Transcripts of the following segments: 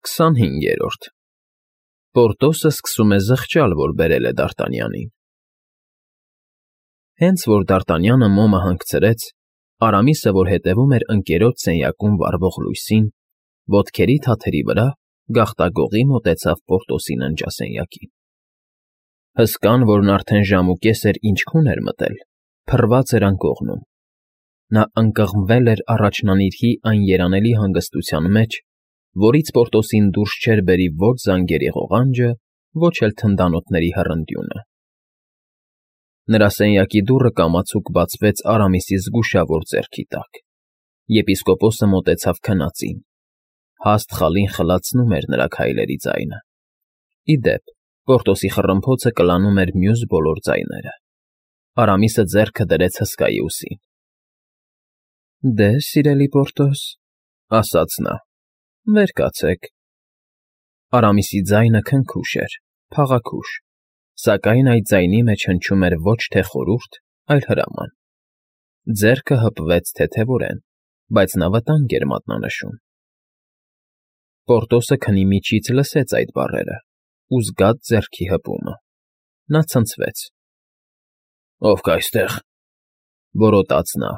25-րդ Պորտոսը սկսում է զղջալ, որ բերել է Դարտանյանին։ Հենց որ Դարտանյանը մոմը հանգցրեց, Արամիսը, որ հետևում էր ընկերոջ սենյակում վառվող լույսին, ոտքերի թաթերի վրա գաղտագողի մոտեցավ Պորտոսի ննջասենյակին։ Հսկան, որն արդեն ժամուկես էր ինչքուն էր մտել, փռված էր անկողնում։ Նա ընկղմվել էր առաջնանիրհի այն երանելի հանգստության մեջ, որից Պորտոսին դուրս չէր բերի ոչ զանգերի ղողանջը, ոչ էլ թնդանոթների հռնդյունը։ Նրա սենյակի դուռը կամացուկ բացվեց Արամիսի զգուշավոր ձեռքի տակ։ Եպիսկոպոսը մոտեցավ քնածին։ Հաստ խալին խլացնում էր նրա քայլերի ձայնը։ Ի դեպ, Պորտոսի խռմփոցը կլանում էր մյուս բոլոր ձայները։ Արամիսը ձեռքը դրեց հսկայի ուսին։ «Դե, սիրելի Պորտոս,» ասաց նա,֊ վեր կացեք։ Արամիսի ձայնը քնքուշ էր, փաղաքուշ, սակայն այդ ձայնի մեջ հնչում էր ոչ թե խորհուրդ, այլ հրաման։ Ձեռքը հպվեց թեթևորեն, բայց նա վտանգ էր մատնանշում։ Պորտոսը քնի միջից լսեց այդ բառերը ու զգաց ձեռքի հպումը։ Նա ցնցվեց։ «Ով կա այստեղ,֊ որոտաց նա։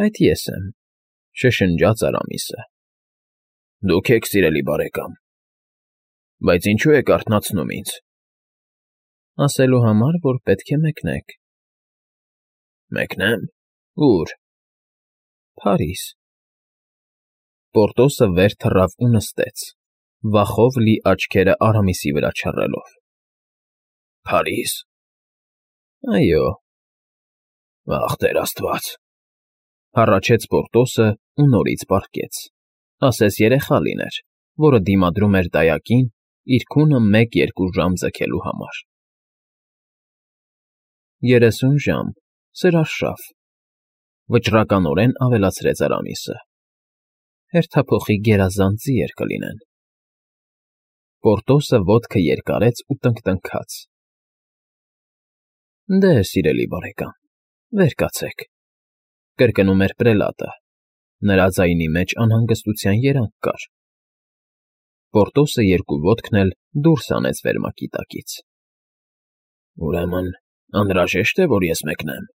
«Այդ ես եմ,֊ շշնջաց Արամիսը։ Դուք եք, սիրելի բարեկամ, բայց ինչո՞ւ եք արթնացնում ինձ։ Ասելու համար, որ պետք է մեկնեք։ Մեկնեմ, ո՞ւր։ Փարիզ։ Պորտոսը վեր թռավ ու նստեց, վախով լի աչքերը Արամիսի վրա չռելով։ Փարիզ։ Այո։ Ախ, Տեր Աստված,֊ հառաչեց Պորտոսը ու նորից պառկեց, ասես երեխա լիներ, որը դիմադրում էր դայակին իր քունը 1-2 ժամ ձգելու համար։ 30 ժամ, սր արշավ,֊ վճռականորեն ավելացրեց Արամիսը։ Հերթափոխի գերազանց ձիեր կլինեն։ Պորտոսը ոտքը երկարեց ու տնքտնքաց։ Դե, սիրելի բարեկամ, վեր կացեք,֊ կրկնում էր պրելատը։ Նրա ձայնի մեջ անհանգստության երանգ կար։ Պորտոսը երկու ոտքն էլ դուրս հանեց վերմակի տակից։ Ուրեմն անհրաժե՞շտ է, որ ես մեկնեմ,֊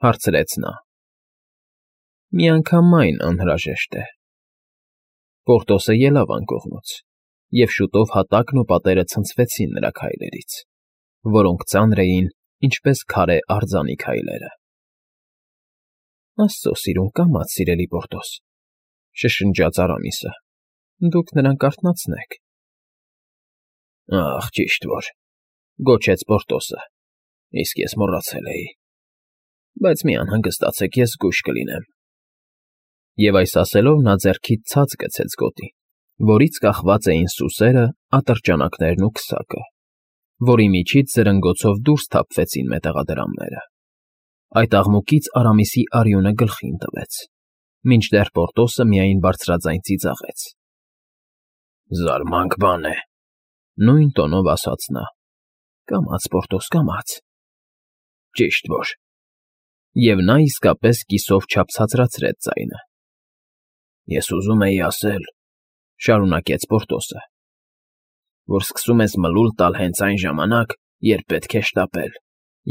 հարցրեց նա։ Միանգամայն անհրաժեշտ է։ Պորտոսը ելավ անկողնուց, և շուտով հատակն ու պատերը ցնցվեցին նրա քայլերից, որոնք ծանր էին, ինչպես քարե արձանի քայլերը։ Աստծո սիրուն կամաց, սիրելի Պորտոս,֊ շշնջաց Արամիսը, դուք նրան կարթնացնեք։ Ախ, ճիշտ որ,֊ գոչեց Պորտոսը, իսկ ես մոռացել էի։ Բայց մի անհանգստացեք, ես զգույշ կլինեմ։ Եվ այս ասելով նա ձեռքից ցած գցեց գոտի, որից կախված էին սուսերը, ատրճանակներն ու քսակը, որի միջից զրնգոցով դուրս թափվեցին մետաղադրամները։ Այդ աղմուկից Արամիսի արյունը գլխին տվեց, մինչդեռ Պորտոսը միայն բարձրաձայն ծիծաղեց։ Զարմանք բան է,֊ նույն տոնով ասաց նա։ Կամաց, Պորտոս, կամաց։ Ճիշտ որ։ Եվ նա իսկապես կիսով չափ ցածրացրեց ձայնը։ Ես ուզում էի ասել,֊ շարունակեց Պորտոսը,֊ որ սկսում ես մլուլ տալ հենց այն ժամանակ, երբ պետք է շտապել,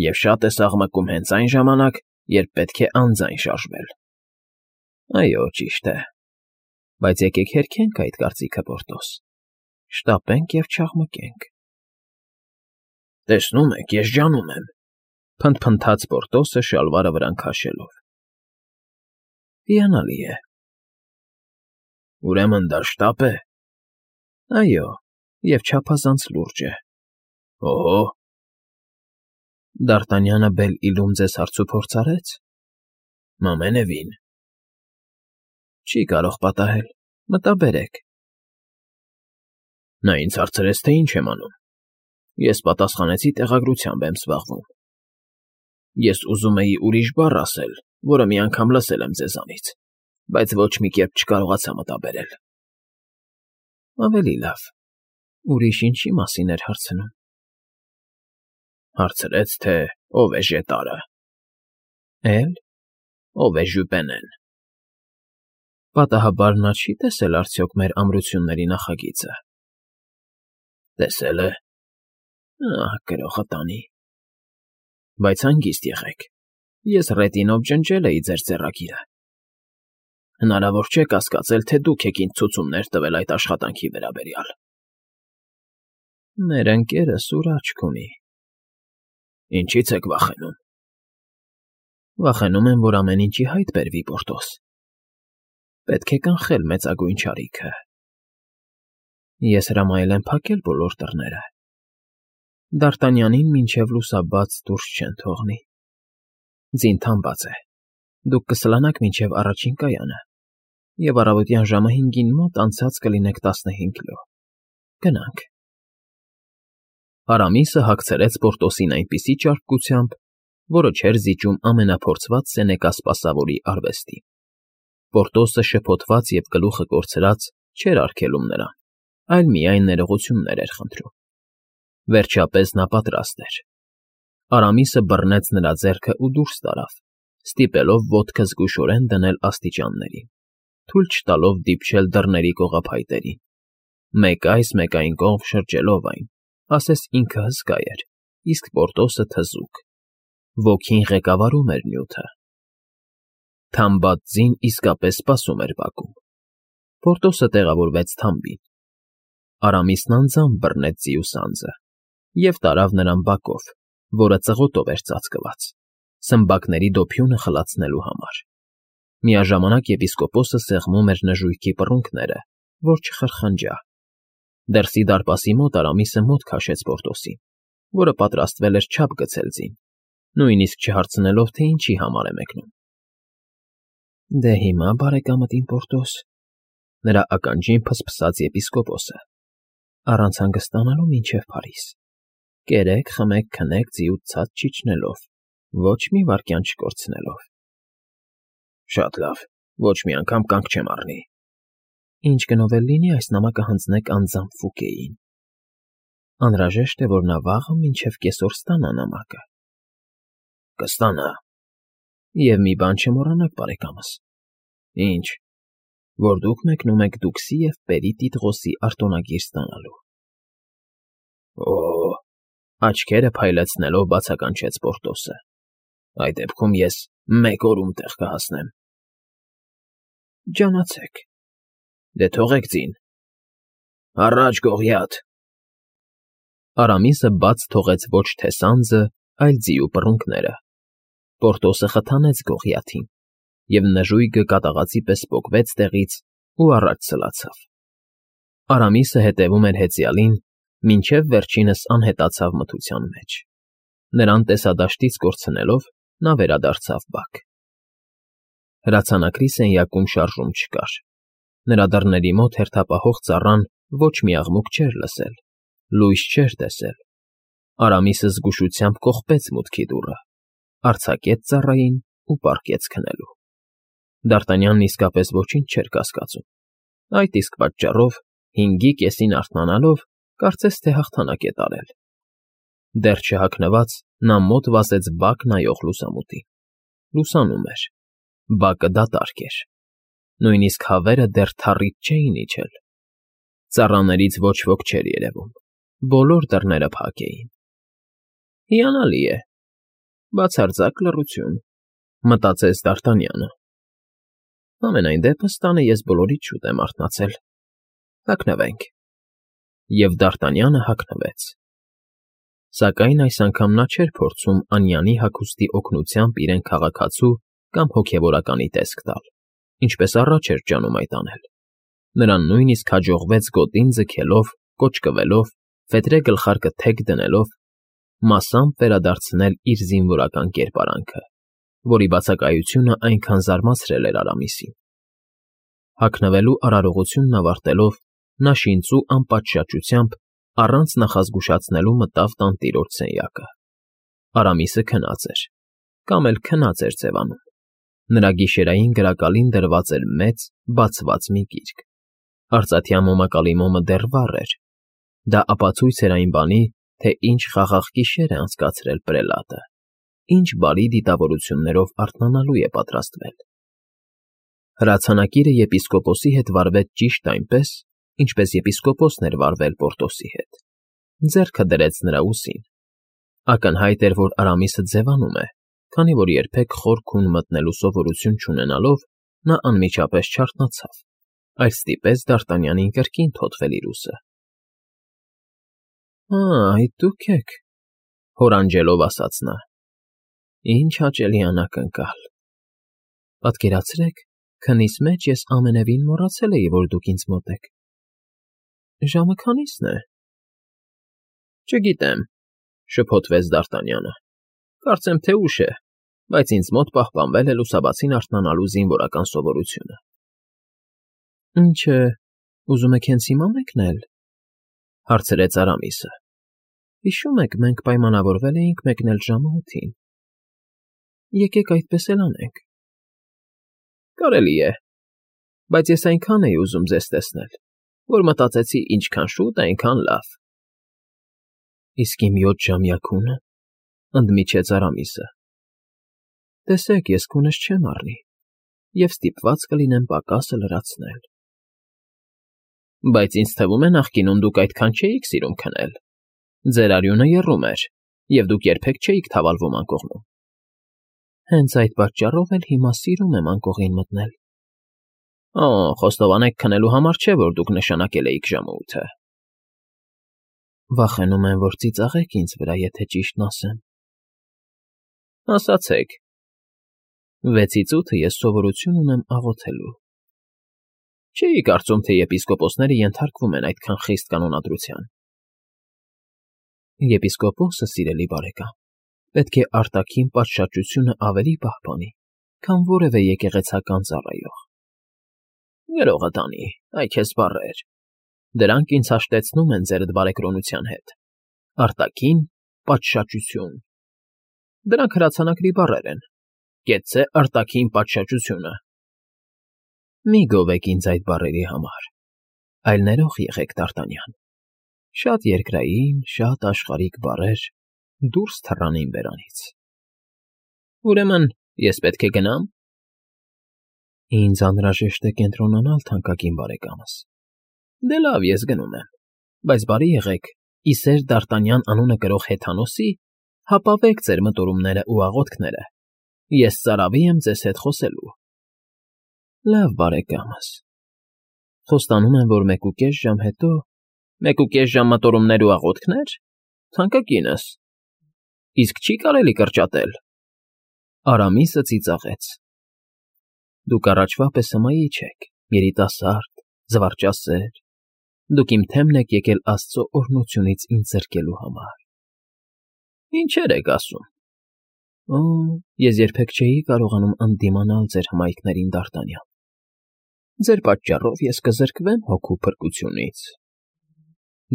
և շատ ես աղմկում հենց այն ժամանակ, երբ պետք է անձայն շարժվել։ Այո, ճիշտ է, բայց եկեք հերքենք այդ կարծիքը, Պորտոս, շտապենք և չաղմկենք։ Տեսնում եք, ես ջանում եմ,֊ փնթփնթաց Պորտոսը շալվարը վրան քաշելով։ Հիանալի է։ Ուրեմն դա շտապ է։ Այո, և չափազանց լուրջ է։ Օհո։ Դարտանյանը Բել֊Իլում ձեզ հարցուփորձ արեց։ Ամենևին։ Չի կարող պատահել, մտաբերեք։ Նա ինձ հարցրեց, թե ինչ եմ անում։ Ես պատասխանեցի տեղագրությամբ եմ զբաղվում։ Ես ուզում էի ուրիշ բառ ասել, որը մի անգամ լսել եմ ձեզանից, բայց ոչ մի կերպ չկարողացա մտաբերել։ Ավելի լավ, ուրիշ ինչի մասին էր հարցնում։ Հարցրեց, թե ով է ժետարը։ Էլ, ով է Ժյուպենեն։ Պատահաբար նա չի տեսել արդյոք մեր ամրությունների նախագիծը։ Տեսել է։ Գրողը տանի։ Բայց հանգիստ եղեք, ես ռետինով ջնջել էի ձեր ձեռագիրը։ Հնարավոր չէ կասկածել, թե դուք եք ինձ ցուցումներ տվել այդ աշխատանքի վերաբերյալ։ Մեր ընկերը սուր աչք ունի։ Ինչի՞ց եք վախենում։ Վախենում եմ, որ ամեն ինչի հայտ բերվի, Պորտոս։ Պետք է կանխել մեծագույն չարիքը։ Ես հրամայել եմ փակել բոլոր դռները։ Դ'Արտանյանին մինչև լուսաբաց դուրս չեն թողնի։ Ձինթան բաց է։ Դուք կսլանաք մինչև առաջին կայանը, և առավոտյան ժամը 5-ին մոտ անցած կլինեք 15 լո։ Գնանք։ Արամիսը հագցրեց Պորտոսին այնպիսի ճարպկությամբ, որը չէր զիջում ամենափորձված սենեկասպասավորի արվեստին։ Պորտոսը շփոթված և գլուխը կորցրած չէր արգելում նրան, այլ միայն ներողություններ էր խնդրում։ Վերջապես նա պատրաստ էր։ Արամիսը բռնեց նրա ձեռքը ու դուրս տարավ, ստիպելով ոտքը զգուշորեն դնել աստիճաններին, թույլ չտալով դիպչել դռների կողափայտերին, մեկ այս, մեկ այն կողմ շրջելով այն, ասես ինքը հսկա էր, իսկ Պորտոսը թզուկ։ Ոգին ղեկավարում էր նյութը։ Թամբած ձին իսկապես սպասում էր բակում։ Պորտոսը տեղավորվեց թամբին։ Արամիսն անձամբ բռնեց ձիու սանձը և տարավ նրան բակով, որը ծղոտով էր ծածկված, սմբակների դոփյունը խլացնելու համար։ Միաժամանակ եպիսկոպոսը սեղմում էր նժույգի պռունգները, որ չխրխնջա։ Դրսի դարպասի մոտ Արամիսը մոտ քաշեց Պորտոսին, որը պատրաստվել էր չափ գցել ձին, նույնիսկ չհարցնելով, թե ինչի համար է մեկնում։ Դե հիմա, բարեկամդ իմ Պորտոս, նրա ականջին փսփսաց եպիսկոպոսը, առանց հանգստանալու մինչև Փարիզ, կերեք, խմեք, քնեք ձիուց ցած չիջնելով, ոչ մի վայրկյան չկորցնելով։ Շատ լավ, ոչ մի անգամ կանգ չեմ առնի։ Ինչ գնով էլ լինի, այս նամակը հանձնեք անձամբ Ֆուկեին։ Անհրաժեշտ է, որ նա վաղը մինչև կեսօր ստանա նամակը։ Կստանա։ Եվ մի բան չմոռանաք, բարեկամս։ Ինչ, որ դուք մեկնում եք Դուքսի և Պերի Տիտղոսի արտոնագիր ստանալու։ Օ՜, աչքերը փայլեցնելով բացականչեց Պորտոսը։ Այդ դեպքում ես 1 օրում տեղ կհասնեմ։ Ջանացեք։ Դե թողեք ձին։ Առաջ, Գողիաթ։ Արամիսը բաց թողեց ոչ թե սանձը, այլ ձիու պռունգները։ Պորտոսը խթանեց Գողիաթին, և նժույգը կատաղածի պես պոկվեց տեղից ու առաջ սլացավ։ Արամիսը հետևում էր հեծյալին, մինչև վերջինս անհետացավ մթության մեջ։ Նրան տեսադաշտից կորցնելով, նա վերադարձավ բակ։ Հրացանակրի սենյակում շարժում չկար։ Նրա դռների մոտ հերթապահող ծառան ոչ մի աղմուկ չէր լսել, լույս չէր տեսել։ Արամիսը զգուշությամբ կողպեց մուտքի դուռը, արձակեց ծառային ու պառկեց քնելու։ Դ'Արտանյանն իսկապես ոչինչ չէր կասկածում։ Այդ իսկ պատճառով, 5-ի կեսին արթնանալով, կարծես թե հաղթանակ է տարել։ Դեռ չհագնված, նա մոտ վազեց բակ նայող լուսամուտին։ Լուսանում էր։ Բակը դատարկ էր։ Նույնիսկ հավերը դեռ թառից չէին իջել։ Ծառաներից ոչ ոք չէր երևում։ Բոլոր դռները փակ էին։ Հիանալի է։ Բացարձակ լռություն, մտածեց Դ'Արտանյանը։ Համենայն դեպս տանը ես բոլորից շուտ եմ արթնացել։ Հագնվենք։ Եվ Դ'Արտանյանը հագնվեց։ Սակայն այս անգամ նա չէր փորձում Անյանի հագուստի օգնությամբ իրեն քաղաքացու կամ հոգևորականի տեսք տալ, ինչպես առաջ էր ջանում այդ անել։ Նրան նույնիսկ հաջողվեց գոտին ձգելով, կոճկվելով, ֆետրե գլխարկը թեք դնելով, մասամբ վերադարձնել իր զինվորական կերպարանքը, որի բացակայությունը այնքան զարմացրել էր Արամիսին։ Հագնվելու արարողությունն ավարտելով, նա շինծու անպատշաճությամբ, առանց նախազգուշացնելու մտավ տանտիրոջ սենյակը։ Արամիսը քնած էր, կամ էլ քնած էր ձևանում։ Նրա գիշերային գրակալին դրված էր մեծ, բացված մի գիրք։ Արծաթյա մոմակալի մոմը դեռ վառ էր։ Դա ապացույց էր այն բանի, թե ինչ խաղաղ գիշեր է անցկացրել պրելատը, ինչ բարի դիտավորություններով արթնանալու է պատրաստվել։ Հրացանակիրը եպիսկոպոսի հետ վարվեց ճիշտ այնպես, ինչպես եպիսկոպոսն էր վարվել Պորտոսի հետ. ձեռքը դրեց նրա ուսին. ակնհայտ էր, որ Արամիսը ձևանում է, քանի որ երբեք խոր քուն մտնելու սովորություն չունենալով նա անմիջապես չարթնացավ, այլ ստիպեց Դարտանյանին կրկին թոթվել իր ուսը։ Այդ դուք եք, հորանջելով ասաց նա. ինչ հաճելի անակնկալ։ Պատկերացրեք, քնից մեջ ես ամենևին մոռացել էի, որ դուք ինձ մոտ եք։ Ժամը քանիսն է։ Չգիտեմ, շփոթվեց Դարտանյանը։ Կարծեմ, թե ուշ է, բայց ինձ մոտ պահպանվել է լուսաբացին արթնանալու զինվորական սովորությունը։ Ինչը, ուզում եք հենց հիմա մեկնել, հարցրեց Արամիսը։ Հիշում եք, մենք պայմանավորվել էինք մեկնել ժամը 8-ին։ Եկեք այդպես էլ անենք։ Կարելի է, բայց ես այնքան էի ուզում ձեզ տեսնել, որ մտածեցի ինչքան շուտ, այնքան լավ։ Իսկ իմ 7 ժամյա քունը, ընդմիջեց Արամիսը։ Տեսեք, ես քունս չեմ առնի, և ստիպված կլինեմ պակասը լրացնել։ Բայց ինձ թվում է նախկինում դուք այդքան չէիք սիրում քնել։ Ձեր արյունը եռում էր, և դուք երբեք չէիք թավալվում անկողնում։ Հենց այդ պատճառով էլ հիմա սիրում եմ անկողին մտնել։ Խոստովանեք, քնելու համար չէ, որ դուք նշանակել էիք ժամը 8-ը։ Վախենում եմ, որ ծիծաղեք ինձ վրա, եթե ճիշտն ասեմ։ Ասացեք։ 6-ից 8-ը ես սովորություն ունեմ աղոթելու։ Չէի կարծում, թե եպիսկոպոսները ենթարկվում են այդքան խիստ կանոնադրության։ Եպիսկոպոսը, սիրելի բարեկամ, պետք է արտաքին պատշաճությունը ավելի պահպանի, քան որևէ եկեղեցական ծառայող։ Գրողը տանի, այ քեզ բառեր։ Դրանք ինձ հաշտեցնում են ձեր բարեկրոնության հետ։ Արտաքին պատշաճություն։ Դրանք հրացանակրի բառեր են։ Կեցցե արտաքին պատշաճությունը։ Մի գովեք ինձ այդ բառերի համար, այլ ներող եղեք, Դարտանյան։ Շատ երկրային, շատ աշխարհիկ բառեր դուրս թռան իմ բերանից։ Ուրեմն, ես պետք է գնամ։ Ինձ անհրաժեշտ է կենտրոնանալ, թանկագին բարեկամս։ Դե լավ, ես գնում եմ, բայց բարի եղեք, Իսեր Դարտանյան անունը կրող հեթանոսի հապավեք ձեր մտորումները ու աղոթքները։ Ես ծարավի եմ ձեզ հետ խոսելու։ Լավ, բարեկամս։ Խոստանում եմ, որ 1.5 ժամ հետո 1.5 ժամ մտորումներ ու աղոթքներ, թանկագինս։ Իսկ չի կարելի կրճատել։ Արամիսը ծիծաղեց։ Դուք առաջվա պես հմայի չեք, երիտասարդ, զվարճասեր։ Դուք իմ թեմն եք եկել Աստծո օրհնությունից ինձ զրկելու համար։ Ինչեր եք ասում։ Ես երբեք չէի կարողանում ընդդիմանալ ձեր հմայքներին, Դարտանյան։ Ձեր պատճառով ես կզրկվեմ հոգու փրկությունից։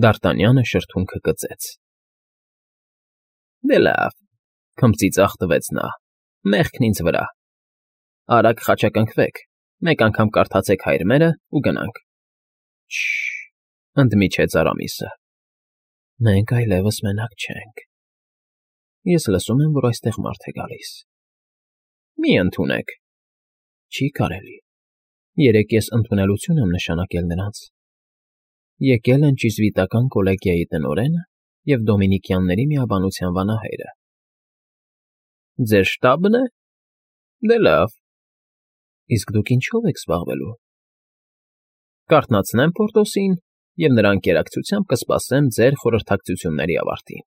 Դարտանյանը շրթունքը կծեց։ Դե լավ, քմծիծաղ տվեց նա, մեղքն ինձ վրա։ Արագ խաչակնքվեք, մեկ անգամ կարդացեք հայրմերը ու գնանք։ Ընդմիջեց Արամիսը։ Մենք այլևս մենակ չենք։ Ես լսում եմ, որ այստեղ մարդ է գալիս։ Մի ընդունեք։ Չի կարելի։ Երեկ ես ընդունելություն եմ նշանակել նրանց։ Եկել են ճիզվիտական կոլեգիայի տնօրենը և Դոմինիկյանների միաբանության վանահայրը։ Ձեր շտաբն է։ Դե լավ։ Իսկ դուք ինչով եք զբաղվելու։ Կարթնացնեմ Պորտոսին և նրա ընկերակցությամբ կսպասեմ ձեր խորհրդակցությունների ավարտին։